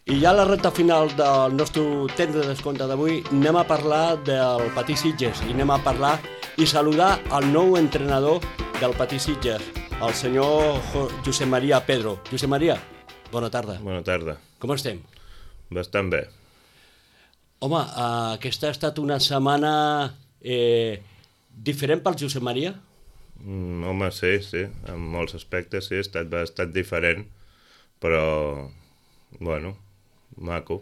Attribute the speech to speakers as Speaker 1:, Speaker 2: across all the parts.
Speaker 1: I ja a la recta final del nostre temps de descompte d'avui anem a parlar del Patí Sitges i anem a parlar i saludar el nou entrenador del Patí Sitges, el senyor Josep Maria Pedro. Josep Maria, bona tarda.
Speaker 2: Bona tarda.
Speaker 1: Com estem?
Speaker 2: Bastant bé.
Speaker 1: Home, aquesta ha estat una setmana diferent pel Josep Maria?
Speaker 2: Home, sí, en molts aspectes sí, ha estat bastant diferent, però, bueno, maco.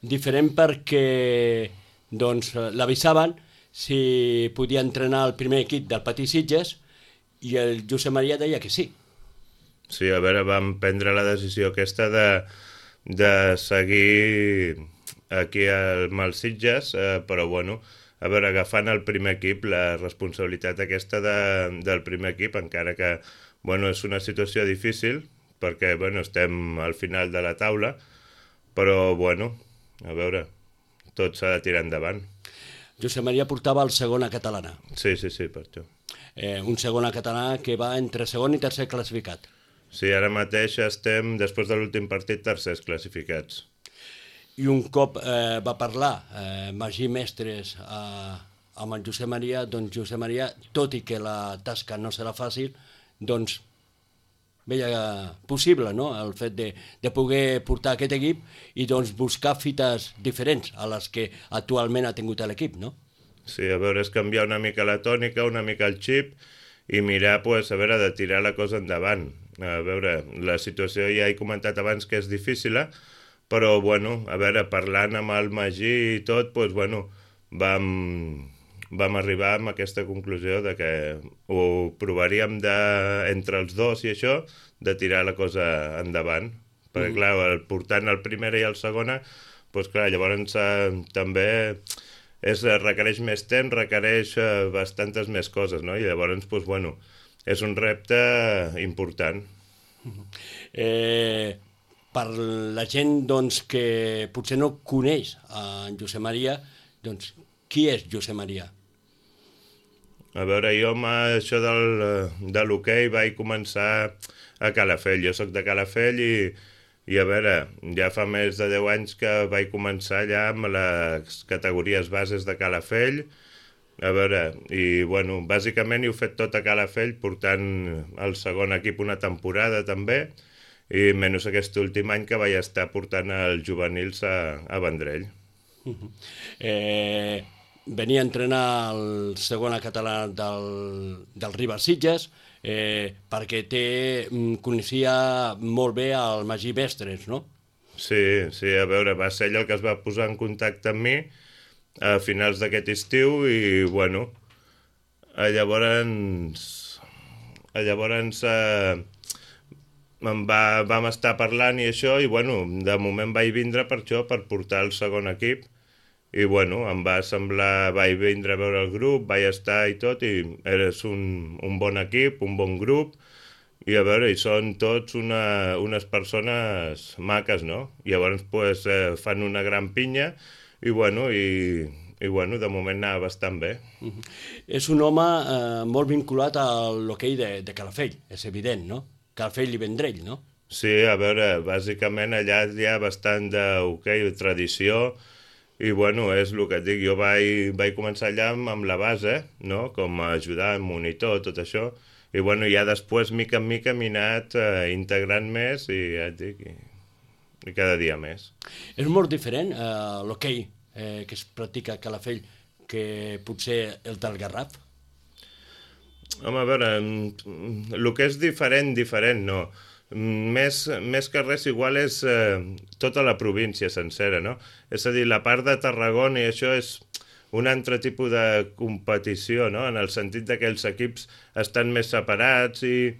Speaker 1: Diferent perquè doncs, l'avisaven si podia entrenar el primer equip del Patí Sitges i el Josep Maria deia que sí.
Speaker 2: Sí, a veure, vam prendre la decisió aquesta de seguir aquí amb els Sitges, però bueno, a veure, agafant el primer equip, la responsabilitat aquesta del primer equip, encara que, bueno, és una situació difícil, perquè, bueno, estem al final de la taula, però, bueno, a veure, tot s'ha de tirar endavant.
Speaker 1: Josep Maria portava el segon a catalana.
Speaker 2: Sí, per això.
Speaker 1: Un segon a catalana que va entre segon i tercer classificat.
Speaker 2: Sí, ara mateix estem, després de l'últim partit, tercers classificats.
Speaker 1: I un cop va parlar Magí Mestres amb el Josep Maria, doncs Josep Maria, tot i que la tasca no serà fàcil, doncs veia possible, no?, el fet de poder portar aquest equip i doncs buscar fites diferents a les que actualment ha tingut l'equip, no?
Speaker 2: Sí, a veure, és canviar una mica la tònica, una mica el xip i mirar, pues, a veure, de tirar la cosa endavant. A veure, la situació ja he comentat abans que és difícil, però, bueno, a veure, parlant amb el Magí i tot, doncs, bueno, vam arribar a aquesta conclusió de que ho provaríem entre els dos i això, de tirar la cosa endavant. Perquè, clar, portant el primer i el segona, doncs, clar, llavors també requereix més temps, requereix bastantes més coses, no? I llavors, doncs, bueno, és un repte important.
Speaker 1: Per la gent doncs, que potser no coneix en Josep Maria, doncs qui és Josep Maria?
Speaker 2: A veure, jo amb això de l'hoquei vaig començar a Calafell. Jo soc de Calafell i a veure, ja fa més de 10 anys que vaig començar allà amb les categories bases de Calafell. A veure, i bueno, bàsicament he fet tot a Calafell, portant el segon equip una temporada també, i menys aquest últim any que vaig estar portant els juvenils a Vendrell.
Speaker 1: Venia a entrenar el segon català del Ribas Sitges perquè coneixia molt bé el Magí Mestres, no?
Speaker 2: Sí, a veure, va ser ell el que es va posar en contacte amb mi a finals d'aquest estiu i, bueno, llavors vam estar parlant i això, i, bueno, de moment vaig vindre per això, per portar el segon equip, i, bueno, em va semblar, vaig vindre a veure el grup, vaig estar i tot, i és un bon equip, un bon grup, i a veure, i són tots unes persones maques, no? I llavors, pues, fan una gran pinya, i, bueno, de moment anava bastant bé.
Speaker 1: És un home molt vinculat a l'hoquei de Calafell, és evident, no? Calafell i Vendrell, no?
Speaker 2: Sí, a veure, bàsicament allà hi ha bastant d'hoquei, tradició, i, bueno, és el que et dic, jo vaig començar allà amb la base, no?, com a ajudant, monitor, tot això, i, bueno, ja després, mica en mica, m'he anat integrant més i, ja et dic, i cada dia més.
Speaker 1: És molt diferent l'hoquei que es practica a Calafell que potser el del Garraf?
Speaker 2: Home, a veure, el que és diferent, no. Més que res igual és tota la província sencera, no? És a dir, la part de Tarragona i això és un altre tipus de competició, no? En el sentit que els equips estan més separats i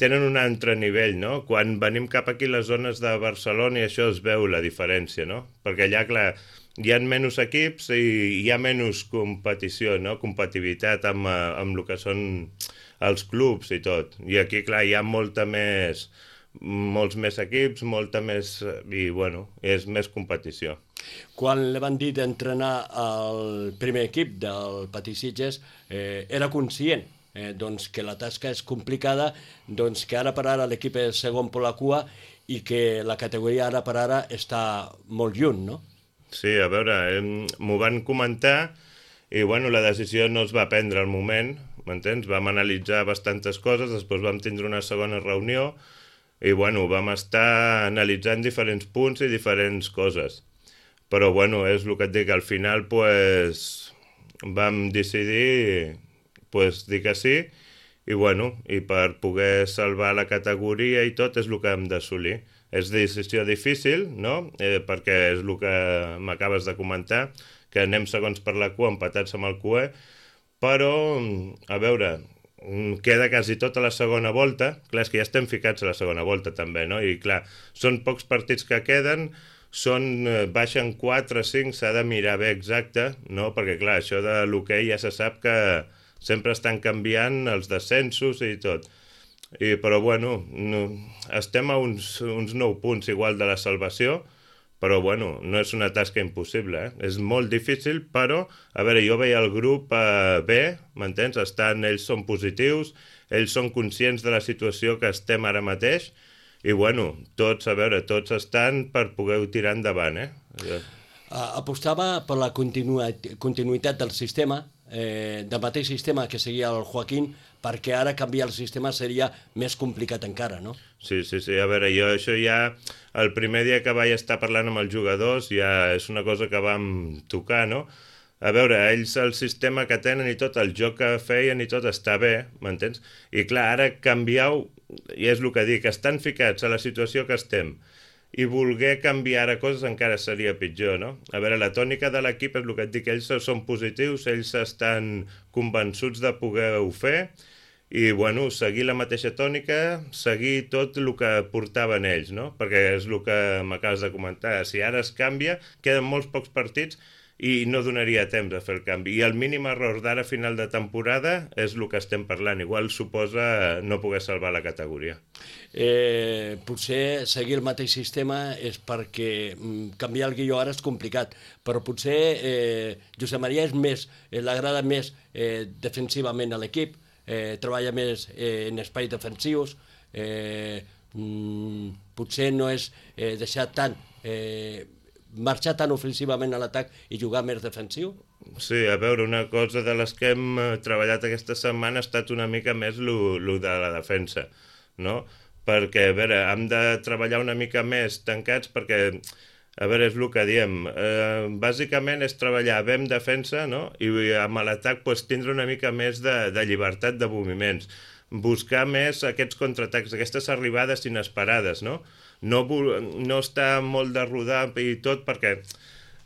Speaker 2: tenen un altre nivell, no? Quan venim cap aquí a les zones de Barcelona i això es veu la diferència, no? Perquè allà, clar, hi ha menys equips i hi ha menys competició, no? Competitivitat amb el que són els clubs i tot. I aquí, clar, hi ha molts més equips, molta més... i, bueno, és més competició.
Speaker 1: Quan li van dir d'entrenar el primer equip del Patí Sitges, era conscient doncs que la tasca és complicada, doncs que ara per ara l'equip és segon per la cua i que la categoria ara per ara està molt lluny, no?
Speaker 2: Sí, a veure, m'ho van comentar i bueno, la decisió no es va prendre al moment, m'entens? Vam analitzar bastantes coses, després vam tindre una segona reunió i bueno, vam estar analitzant diferents punts i diferents coses. Però bueno, és el que et dic, al final pues, vam decidir pues, dir que sí i bueno, i per poder salvar la categoria i tot és el que hem d'assolir. És decisió difícil, no? Perquè és el que m'acabes de comentar, que anem segons per la cua, empatats amb el CUE, però, a veure, queda quasi tota la segona volta, clar, és que ja estem ficats a la segona volta també, no? I clar, són pocs partits que queden, baixen 4 o 5, s'ha de mirar bé exacte, no? Perquè clar, això de l'hoquei ja se sap que sempre estan canviant els descensos i tot. Però bueno, estem a uns 9 punts igual de la salvació, però bueno, no és una tasca impossible, És molt difícil, però, a veure, jo veia el grup bé, m'entens? Ells són positius, ells són conscients de la situació que estem ara mateix, i bueno, tots estan per poder tirar endavant,
Speaker 1: Apostava per la continuïtat del sistema, del mateix sistema que seguia el Joaquín, perquè ara canviar el sistema seria més complicat encara, no?
Speaker 2: Sí, a veure, jo això ja, el primer dia que vaig estar parlant amb els jugadors, ja és una cosa que vam tocar, no? A veure, ells el sistema que tenen i tot, el joc que feien i tot està bé, m'entens? I clar, ara canvieu, i és el que dic, estan ficats a la situació que estem, i voler canviar a coses encara seria pitjor, no? A veure, la tònica de l'equip és el que et dic, ells són positius, ells estan convençuts de poder-ho fer, i, bueno, seguir la mateixa tònica, seguir tot el que portaven ells, no? Perquè és el que m'acabes de comentar. Si ara es canvia, queden molts pocs partits i no donaria temps a fer el canvi. I el mínim error d'ara a final de temporada és el que estem parlant. Igual suposa no poder salvar la categoria.
Speaker 1: Potser seguir el mateix sistema és perquè canviar el guió ara és complicat, però potser Josep Maria l'agrada més defensivament a l'equip, treballa més en espais defensius, potser no és deixar tant marxar tan ofensivament a l'atac i jugar més defensiu?
Speaker 2: Sí, a veure, una cosa de les que hem treballat aquesta setmana ha estat una mica més lo de la defensa, no? Perquè, a veure, hem de treballar una mica més tancats perquè, a veure, és el que diem, bàsicament és treballar bé en defensa, no? I amb l'atac pues, tindre una mica més de llibertat de moviments, buscar més aquests contraatacs, aquestes arribades inesperades, no? No està molt de rodar i tot perquè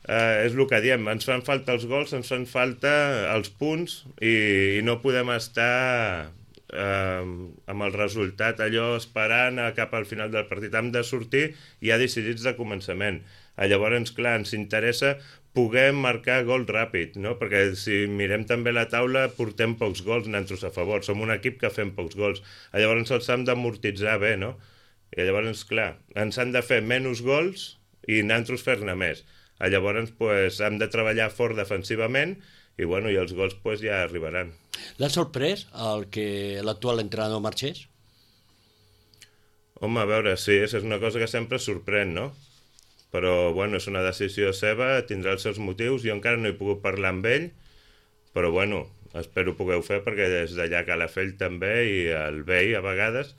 Speaker 2: és el que diem, ens fan falta els gols, ens fan falta els punts i no podem estar amb el resultat allò esperant cap al final del partit. Hem de sortir ja decidits de començament. Llavors, clar, ens interessa poder marcar gol ràpid, no? Perquè si mirem també la taula portem pocs gols nosaltres a favor, som un equip que fem pocs gols. Llavors els hem d'amortitzar bé, no? I llavors, clar, ens han de fer menys gols i nosaltres fer-ne més. Llavors, pues, hem de treballar fort defensivament i, bueno, i els gols pues, ja arribaran.
Speaker 1: L'ha sorprès que l'actual entrenador marxés?
Speaker 2: Home, a veure, sí, és una cosa que sempre sorprèn, no? Però, bueno, és una decisió seva, tindrà els seus motius, jo encara no he pogut parlar amb ell, però, bueno, espero poder-ho fer perquè des d'allà cal fer ell també i el vell a vegades,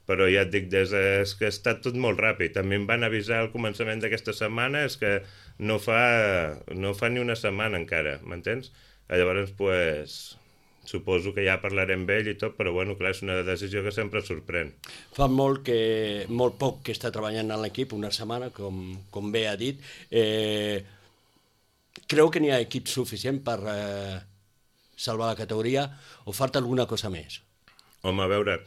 Speaker 2: però ja et dic, és que ha estat tot molt ràpid. També em van avisar al començament d'aquesta setmana, és que no fa ni una setmana encara, m'entens? Llavors, pues, suposo que ja parlarem amb ell i tot, però bueno, clar, és una decisió que sempre sorprèn.
Speaker 1: Fa molt poc que està treballant en l'equip, una setmana, com bé ha dit. Creu que n'hi ha equip suficient per salvar la categoria o falta alguna cosa més?
Speaker 2: Home, a veure,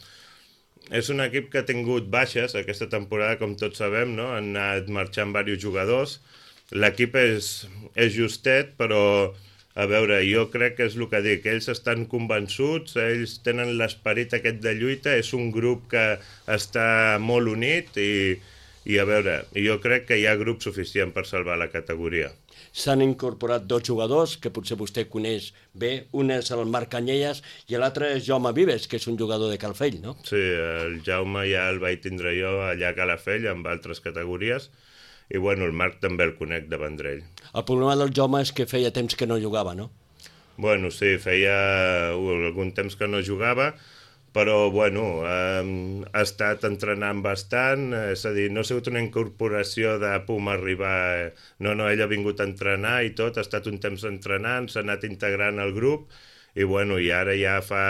Speaker 2: és un equip que ha tingut baixes aquesta temporada, com tots sabem, no? Han anat marxant diversos jugadors. L'equip és justet, però, a veure, jo crec que és el que dic. Ells estan convençuts, ells tenen l'esperit aquest de lluita, és un grup que està molt unit i I a veure, jo crec que hi ha grup suficient per salvar la categoria.
Speaker 1: S'han incorporat 2 jugadors que potser vostè coneix bé. Un és el Marc Canyelles i l'altre és Jaume Vives, que és un jugador de Calafell, no?
Speaker 2: Sí, el Jaume ja el vaig tindre jo allà a Calafell amb altres categories i bueno, el Marc també el conec de Vendrell.
Speaker 1: El problema del Jaume és que feia temps que no jugava, no?
Speaker 2: Bueno, sí, feia algun temps que no jugava, però bueno, ha estat entrenant bastant, és a dir, no ha sigut una incorporació de pum arribar, no, ell ha vingut a entrenar i tot, ha estat un temps entrenant, s'ha anat integrant al grup i bueno, i ara ja fa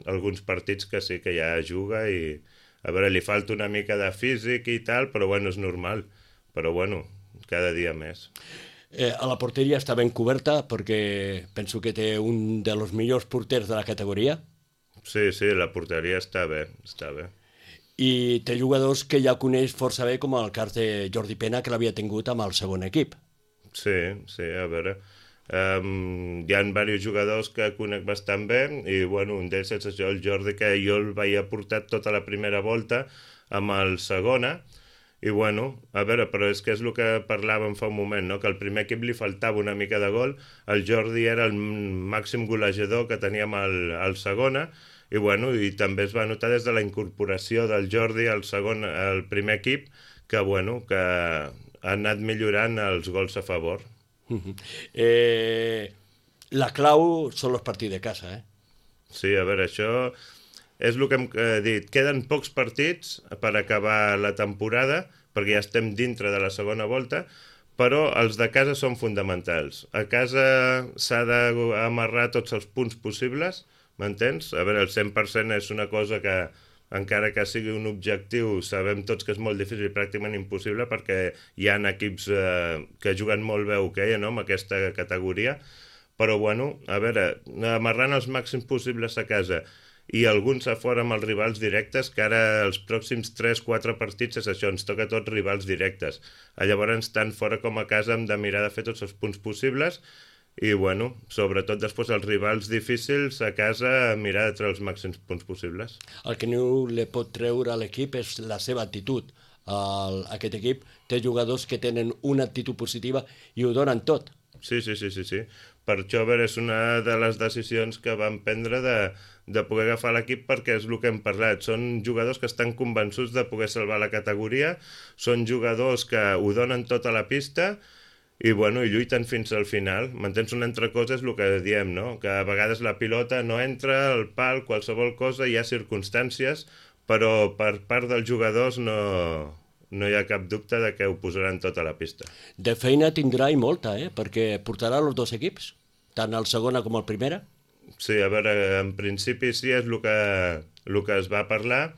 Speaker 2: alguns partits que sí que ja juga i a veure, li falta una mica de físic i tal, però bueno, és normal, però bueno, cada dia més.
Speaker 1: A la porteria està ben coberta perquè penso que té un dels millors porters de la categoria.
Speaker 2: Sí, la porteria està bé, està bé.
Speaker 1: I té jugadors que ja coneix força bé, com el cas de Jordi Pena, que l'havia tingut amb el segon equip.
Speaker 2: Sí, a veure. Hi ha diversos jugadors que conec bastant bé i bueno, un d'ells és això, el Jordi, que jo el vaig aportar tota la primera volta amb el segona i bueno, a veure, però és que és el que parlàvem fa un moment, no? Que al primer equip li faltava una mica de gol, el Jordi era el màxim golejador que teníem al segona i bueno, i també es va notar des de la incorporació del Jordi al primer equip que bueno, que ha anat millorant els gols a favor.
Speaker 1: La clau són els partits de casa, eh?
Speaker 2: Sí, a veure, això és el que hem dit. Queden pocs partits per acabar la temporada, perquè ja estem dintre de la segona volta, però els de casa són fonamentals. A casa s'ha d'amarrar tots els punts possibles, m'entens? A veure, el 100% és una cosa que, encara que sigui un objectiu, sabem tots que és molt difícil i pràcticament impossible, perquè hi ha equips que juguen molt bé hoquei, no?, amb aquesta categoria, però bueno, a veure, amarrant els màxims possibles a casa i alguns a fora amb els rivals directes, que ara els pròxims 3-4 partits és això, ens toca tots rivals directes. Llavors, tant fora com a casa hem de mirar de fer tots els punts possibles i, bueno, sobretot després els rivals difícils a casa mirar de treure els màxims punts possibles.
Speaker 1: El que no li pot treure a l'equip és la seva actitud. Aquest equip té jugadors que tenen una actitud positiva i ho donen tot.
Speaker 2: Sí. Per això, a veure, és una de les decisions que vam prendre de poder agafar l'equip perquè és el que hem parlat. Són jugadors que estan convençuts de poder salvar la categoria, són jugadors que ho donen tot a la pista i, bueno, i lluiten fins al final. M'entens? Una altra cosa és el que diem, no? Que a vegades la pilota no entra, el pal, qualsevol cosa, hi ha circumstàncies, però per part dels jugadors no hi ha cap dubte de que ho posaran tot a la pista.
Speaker 1: De feina tindrà i molta, perquè portarà els dos equips, tant el segona com el primera.
Speaker 2: Sí, a veure, en principi sí, és el que es va parlar,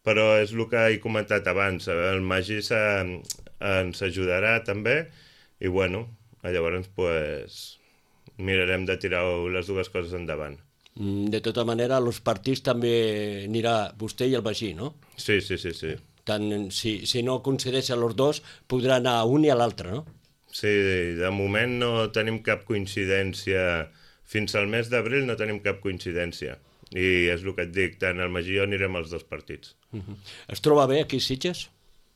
Speaker 2: però és el que he comentat abans. El Magí ens ajudarà també i, bueno, llavors pues, mirarem de tirar les dues coses endavant.
Speaker 1: De tota manera, als partits també anirà vostè i el Magí, no?
Speaker 2: Sí.
Speaker 1: Tant, si no coincideixen els dos, podrà anar a un i a l'altre, no?
Speaker 2: Sí, de moment no tenim cap coincidència. Fins al mes d'abril no tenim cap coincidència. I és el que et dic, tant el Magí i jo anirem als dos partits.
Speaker 1: Es troba bé aquí a Sitges?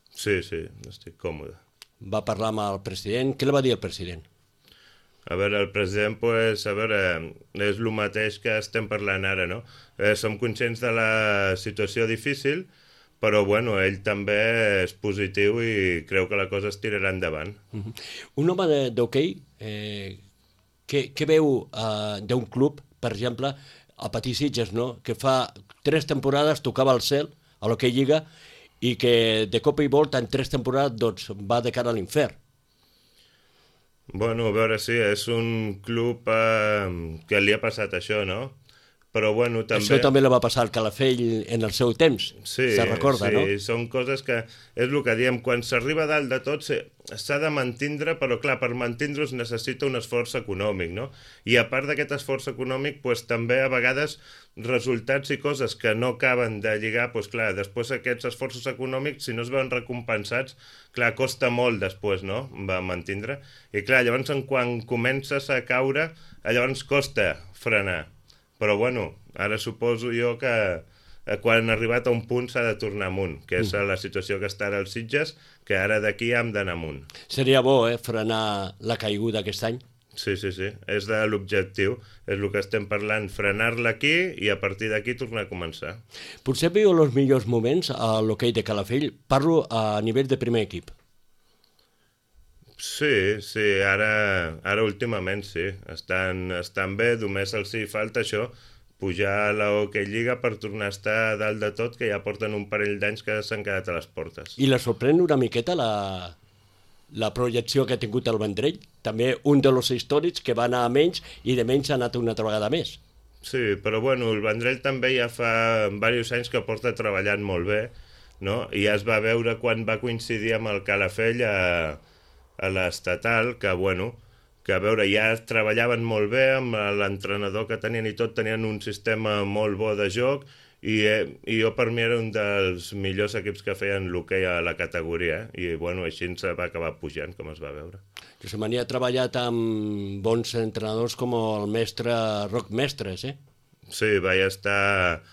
Speaker 2: Sí, estic còmode.
Speaker 1: Va parlar amb el president. Què li va dir el president?
Speaker 2: A veure, el president, pues, a veure, és el mateix que estem parlant ara, no? Som conscients de la situació difícil, però, bueno, ell també és positiu i creu que la cosa es tirarà endavant.
Speaker 1: Un home d'hoquei, què veu d'un club, per exemple, a Patí Sitges, no? Que fa 3 temporades tocava el cel a l'hoquei Lliga i que de cop i volta en 3 temporades doncs, va de cara a l'infern.
Speaker 2: Bueno, a veure, sí, és un club que li ha passat això, no? Però, bueno, també...
Speaker 1: Això també li va passar al Calafell en el seu temps, se recorda, no?
Speaker 2: Sí, són coses que... És el que diem, quan s'arriba a dalt de tot s'ha de mantindre, però clar, per mantindre es necessita un esforç econòmic, no? I a part d'aquest esforç econòmic, doncs, també a vegades resultats i coses que no acaben de lligar, doncs clar, després aquests esforços econòmics, si no es veuen recompensats, clar, costa molt després, no?, va mantindre. I clar, llavors quan comences a caure, llavors costa frenar. Però, bueno, ara suposo jo que quan ha arribat a un punt s'ha de tornar amunt, que és la situació que està ara als Sitges, que ara d'aquí hem d'anar amunt.
Speaker 1: Seria bo, frenar la caiguda aquest any?
Speaker 2: Sí, és de l'objectiu, és el que estem parlant, frenar-la aquí i a partir d'aquí tornar a començar.
Speaker 1: Potser viu els millors moments a l'hoquei de Calafell, parlo a nivell de primer equip.
Speaker 2: Sí, ara últimament sí, estan bé, només els hi falta això, pujar a l'Hockey Lliga per tornar a estar a dalt de tot, que ja porten un parell d'anys que s'han quedat a les portes.
Speaker 1: I la sorprèn una miqueta la projecció que ha tingut el Vendrell, també un dels històrics que va anar a menys i de menys ha anat una altra vegada més.
Speaker 2: Sí, però bueno, el Vendrell també ja fa diversos anys que porta treballant molt bé, no? I ja es va veure quan va coincidir amb el Calafell a l'estatal, que bueno, que a veure, ja treballaven molt bé amb l'entrenador que tenien i tot, tenien un sistema molt bo de joc i jo per mi era un dels millors equips que feien l'hoquei a la categoria, i bueno, així ens va acabar pujant, com es va veure.
Speaker 1: Josep Maria ha treballat amb bons entrenadors com el mestre Roc Mestres,
Speaker 2: Sí, vaig estar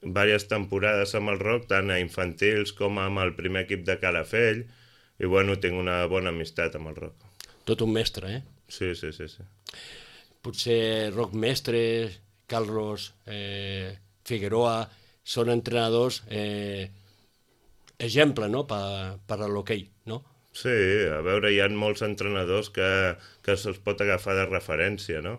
Speaker 2: diverses temporades amb el Roc, tant a infantils com amb el primer equip de Calafell, i bueno, tinc una bona amistat amb el Roc.
Speaker 1: Tot un mestre,
Speaker 2: Sí.
Speaker 1: Potser Roc Mestres, Carlos Figueroa, són entrenadors exemple, no?, per a l'hoquei, no?
Speaker 2: Sí, a veure, hi ha molts entrenadors que se'ls pot agafar de referència, no?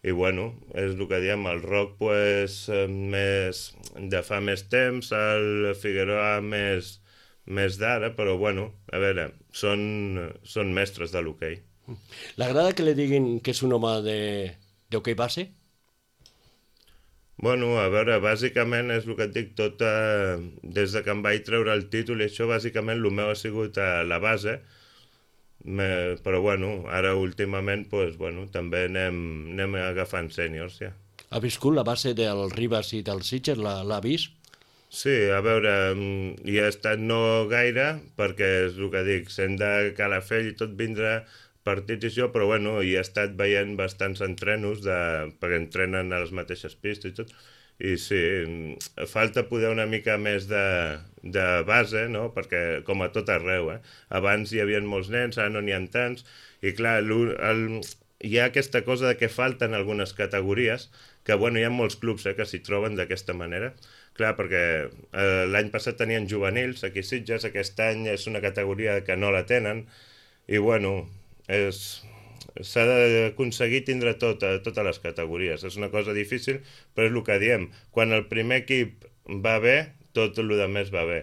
Speaker 2: I bueno, és el que diem, el Roc pues, de fa més temps, el Figueroa més d'ara, però bueno, a veure, són mestres de l'hoquei.
Speaker 1: L'agrada que li diguin que és un home d'hoquei base?
Speaker 2: Bueno, a veure, bàsicament és el que et dic, tot des de que em vaig treure el títol i això, bàsicament el meu ha sigut a la base, però bueno, ara últimament pues, bueno, també anem agafant sèniors, ja.
Speaker 1: Ha viscut la base del Ribas i del Sitges, l'ha vist?
Speaker 2: Sí, a veure, hi ha estat no gaire, perquè és el que dic, sent de Calafell i tot vindrà partits i això, però bueno, hi he estat veient bastants entrenos perquè entrenen a les mateixes pistes i tot, i sí, falta poder una mica més de base, no?, perquè com a tot arreu, abans hi havia molts nens, ara no n'hi ha tants, i clar, hi ha aquesta cosa de que falten algunes categories, que bueno, hi ha molts clubs que s'hi troben d'aquesta manera, clar, perquè l'any passat tenien juvenils aquí a Sitges, aquest any és una categoria que no la tenen, i bueno, s'ha d'aconseguir tindre totes les categories. És una cosa difícil, però és el que diem. Quan el primer equip va bé, tot el demés va bé.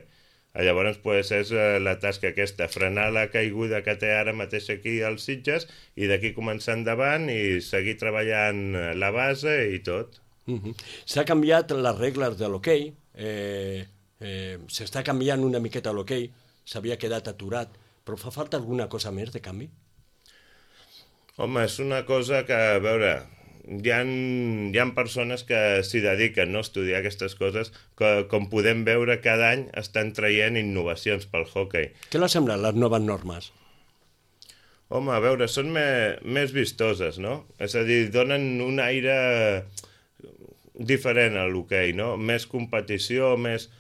Speaker 2: Llavors, pues, és la tasca aquesta, frenar la caiguda que té ara mateix aquí als Sitges i d'aquí començar endavant i seguir treballant la base i tot.
Speaker 1: S'ha canviat les regles de l'hoquei, s'està canviant una miqueta l'hoquei, s'havia quedat aturat, però fa falta alguna cosa més de canvi?
Speaker 2: Home, és una cosa que, a veure, hi ha persones que s'hi dediquen, no?, a estudiar aquestes coses, que, com podem veure, cada any estan traient innovacions pel hoquei.
Speaker 1: Què li semblen les noves normes?
Speaker 2: Home, a veure, són més vistoses, no? És a dir, donen un aire diferent a l'hoquei, no? Més competició, més...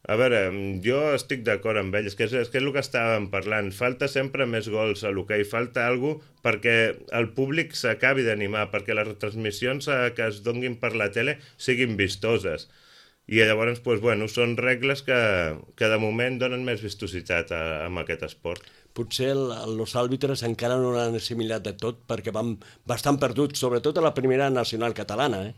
Speaker 2: A veure, jo estic d'acord amb ells, que és el que estàvem parlant. Falta sempre més gols a l'hoquei, falta alguna cosa perquè el públic s'acabi d'animar, perquè les retransmissions que es donguin per la tele siguin vistoses. I llavors, doncs, bueno, són regles que de moment donen més vistositat amb aquest esport.
Speaker 1: Potser els àrbitres encara no l'han assimilat de tot perquè van bastant perduts, sobretot a la primera nacional catalana,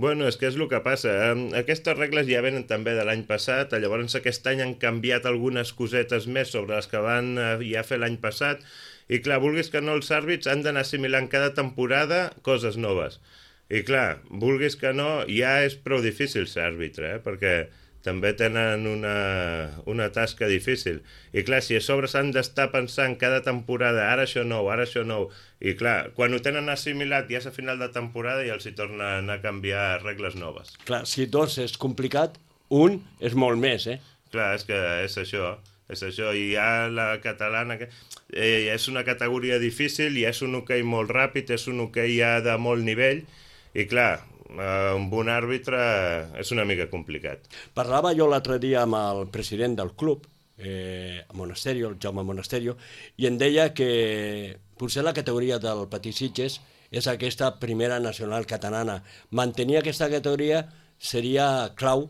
Speaker 2: Bueno, és que és el que passa. Aquestes regles ja venen també de l'any passat, llavors aquest any han canviat algunes cosetes més sobre les que van ja fer l'any passat, i clar, vulguis que no, els àrbits han d'anar assimilant cada temporada coses noves. I clar, vulguis que no, ja és prou difícil ser àrbitre, perquè també tenen una tasca difícil. I clar, si a sobre s'han d'estar pensant cada temporada, ara això nou, i clar, quan ho tenen assimilat ja és a final de temporada i els hi tornen a canviar regles noves.
Speaker 1: Clar, si dos és complicat, un és molt més,
Speaker 2: Clar, és que és això, i ja la catalana, és una categoria difícil, i és un hoquei molt ràpid, és un hoquei ja de molt nivell, i clar, amb un àrbitre és una mica complicat.
Speaker 1: Parlava jo l'altre dia amb el president del club, Monasterio, el Jaume Monasterio, i em deia que potser la categoria del Petit Sitges és aquesta primera nacional catalana. Mantenir aquesta categoria seria clau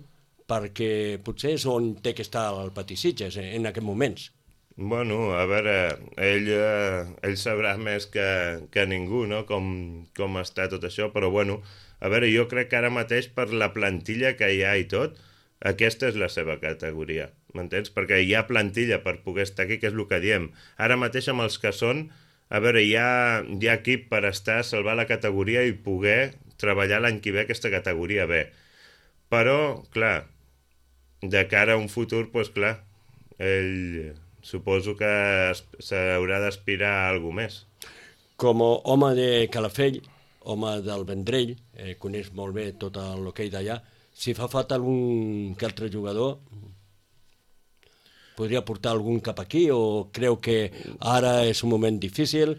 Speaker 1: perquè potser és on té que estar el Petit Sitges en aquests moments.
Speaker 2: Bueno, a veure, ell sabrà més que ningú, no?, com està tot això, però bueno, a veure, jo crec que ara mateix per la plantilla que hi ha i tot, aquesta és la seva categoria, m'entens? Perquè hi ha plantilla per poder estar aquí, que és el que diem. Ara mateix amb els que són, a veure, hi ha equip per estar, salvar la categoria i poder treballar l'any que ve aquesta categoria B. Però, clar, de cara a un futur, doncs clar, ell suposo que s'haurà d'aspirar a alguna més.
Speaker 1: Com a home de Calafell, home del Vendrell, coneix molt bé tot l'hoquei d'allà, si fa falta algun que altre jugador, podria portar algun cap aquí o creu que ara és un moment difícil,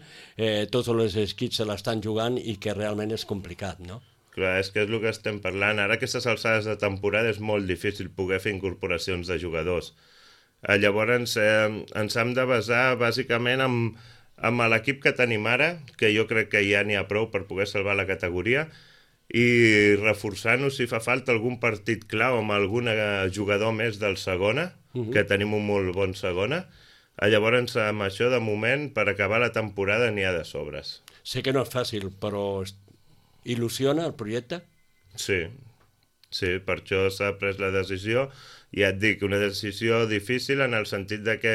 Speaker 1: tots els equips se l'estan jugant i que realment és complicat, no?
Speaker 2: Clar, és que és el que estem parlant. Ara aquestes alçades de temporada és molt difícil poder fer incorporacions de jugadors. Llavors ens hem de basar bàsicament amb l'equip que tenim ara, que jo crec que ja n'hi ha prou per poder salvar la categoria, i reforçar-nos si fa falta algun partit clau amb algun jugador més del segona, que tenim un molt bon segona. Llavors amb això de moment per acabar la temporada n'hi ha de sobres.
Speaker 1: Sé que no és fàcil, però il·lusiona el projecte?
Speaker 2: Sí, per això s'ha pres la decisió. Ja et dic, una decisió difícil en el sentit de que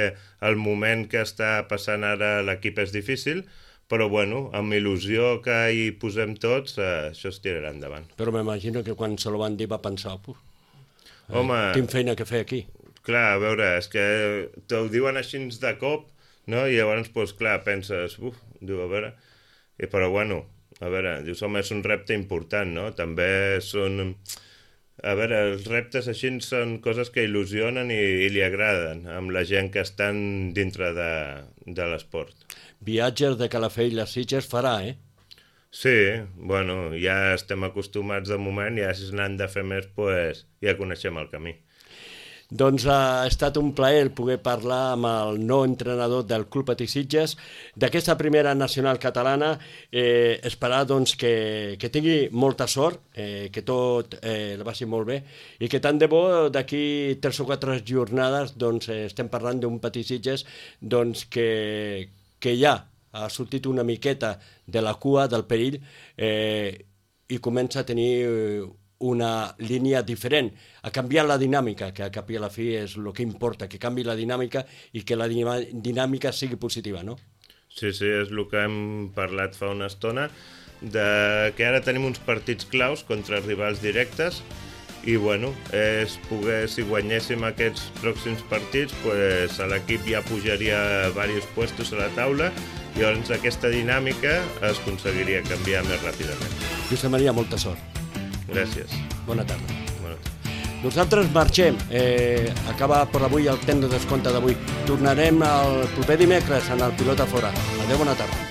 Speaker 2: el moment que està passant ara l'equip és difícil, però bueno, amb il·lusió que hi posem tots, això es tirarà endavant.
Speaker 1: Però m'imagino que quan se lo van dir va pensar,
Speaker 2: home,
Speaker 1: tinc feina que fer aquí.
Speaker 2: Clar, a veure, és que t'ho diuen així de cop, no? I llavors, doncs clar, penses, diu, a veure, però bueno, a veure, dius, home, és un repte important, no? També són... A veure, els reptes així són coses que il·lusionen i li agraden amb la gent que estan dintre de l'esport.
Speaker 1: Viatges de Calafell a Sitges farà,
Speaker 2: Sí, bueno, ja estem acostumats de moment, ja si n'han de fer més, doncs ja coneixem el camí.
Speaker 1: Doncs ha estat un plaer poder parlar amb el nou entrenador del Club Petit Sitges d'aquesta primera nacional catalana, esperar doncs, que tingui molta sort, que tot el vagi molt bé i que tant de bo d'aquí 3 o 4 jornades doncs, estem parlant d'un Petit Sitges doncs, que ja ha sortit una miqueta de la cua del perill i comença a tenir una línia diferent, a canviar la dinàmica, que a cap i a la fi és el que importa, que canvi la dinàmica i que la dinàmica sigui positiva, no?
Speaker 2: Sí, és el que hem parlat fa una estona, que ara tenim uns partits claus contra rivals directes i, bueno, és poder, si guanyéssim aquests pròxims partits, pues, l'equip ja pujaria diversos puestos a la taula i llavors aquesta dinàmica es aconseguiria canviar més ràpidament.
Speaker 1: Josep Maria, molta sort.
Speaker 2: Gràcies.
Speaker 1: Bona tarda. Nosaltres marxem. Acaba per avui el temps de descompte d'avui. Tornarem el proper dimecres en el Pilota Fora. Adéu, bona tarda.